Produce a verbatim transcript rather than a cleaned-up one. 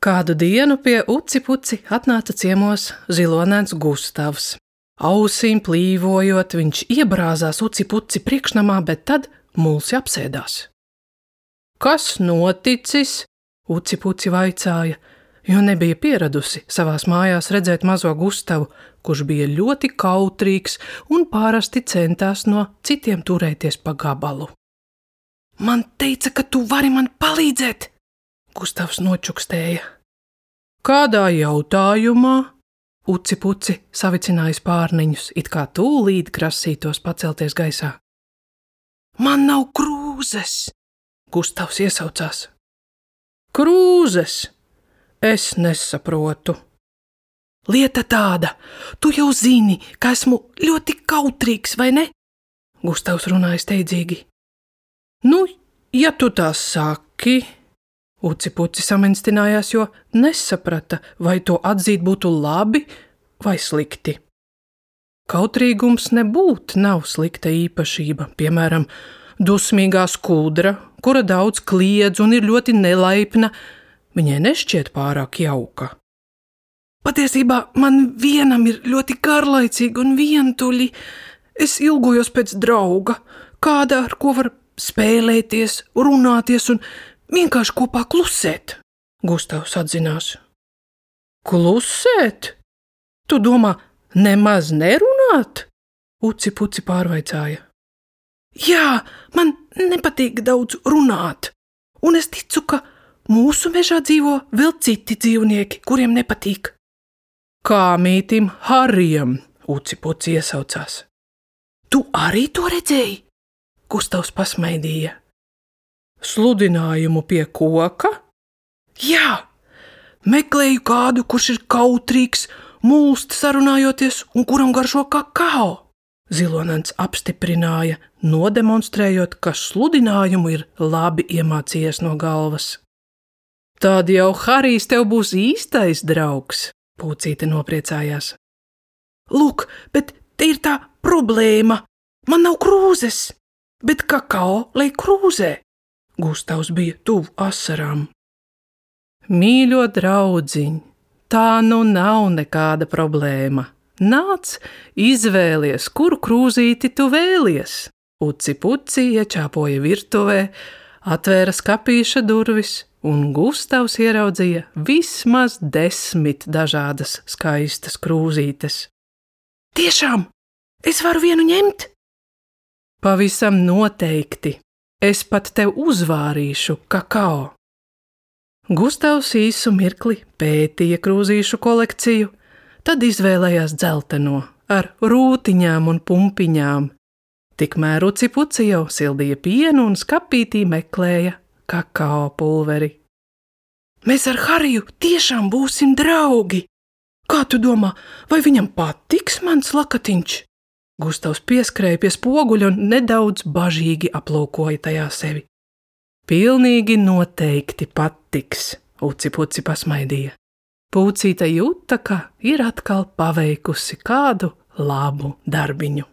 Kādu dienu pie Uci Puci atnāca ciemos zilonēns Gustavs. Ausīm plīvojot, viņš iebrāzās Uci Puci priekšnamā, bet tad mulsi apsēdās. Kas noticis? Uci Puci vaicāja, jo nebija pieradusi savās mājās redzēt mazo Gustavu, kurš bija ļoti kautrīgs un parasti centās no citiem turēties pa gabalu. Man teica, ka tu vari man palīdzēt, Gustavs nočukstēja. Kādā jautājumā? Uci Puci savicinājis pārniņus, it kā tūlīt grasītos pacelties gaisā. Man nav krūzes, Gustavs iesaucās. Krūzes? Es nesaprotu. Lieta tāda, tu jau zini, ka esmu ļoti kautrīgs, vai ne? Gustavs runāja steidzīgi. Nu, ja tu tā saki, Uci Puci saminstinājās, jo nesaprata, vai to atzīt būtu labi vai slikti. Kautrīgums nebūt nav slikta īpašība, piemēram, dusmīgā skudra, kura daudz kliedz un ir ļoti nelaipna, viņai nešķiet pārāk jauka. Patiesībā man vienam ir ļoti garlaicīgi un vientuļi. Es ilgojos pēc drauga, kāda, ar ko var spēlēties, runāties un vienkārši kopā klusēt, Gustavs atzinās. Klusēt? Tu domā, nemaz nerunāt? Uci Puci pārvaicāja. Jā, man nepatīk daudz runāt, un es ticu, ka mūsu mežā dzīvo vēl citi dzīvnieki, kuriem nepatīk. Kā mītim Harijam, Uci Puci iesaucās. Tu arī to redzēji? Gustavs pasmaidīja. Sludinājumu pie koka? Jā, meklēju kādu, kurš ir kautrīgs, mulst sarunājoties un kuram garšo kakao. Zilonēns apstiprināja, nodemonstrējot, ka sludinājumu ir labi iemācījies no galvas. Tad jau Harijs tev būs īstais draugs, Pucīte nopriecājās. Lūk, bet te ir tā problēma. Man nav krūzes, bet kakao lai krūzē. Gustavs bija tuvu asarām. Mīļo draudziņ, tā nu nav nekāda problēma. Nāc, izvēlies, kuru krūzīti tu vēlies. Uci Puci iečāpoja virtuvē, atvēra skapīša durvis, un Gustavs ieraudzīja vismaz desmit dažādas skaistas krūzītes. Tiešām, es varu vienu ņemt? Pavisam noteikti. Es pat tev uzvārīšu kakao. Gustavs īsu mirkli pētīja krūzīšu kolekciju, tad izvēlējās dzelteno ar rūtiņām un pumpiņām. Tikmēr Uci Puci jau sildīja pienu un skapītī meklēja kakao pulveri. Mēs ar Hariju tiešām būsim draugi. Kā tu domā, vai viņam patiks mans lakatiņš? Gustavs pieskrēja pie spoguļa un nedaudz bažīgi aplūkoja tajā sevi. Pilnīgi noteikti patiks, Uci Puci pasmaidīja. Pucīte jūta, ka ir atkal paveikusi kādu labu darbiņu.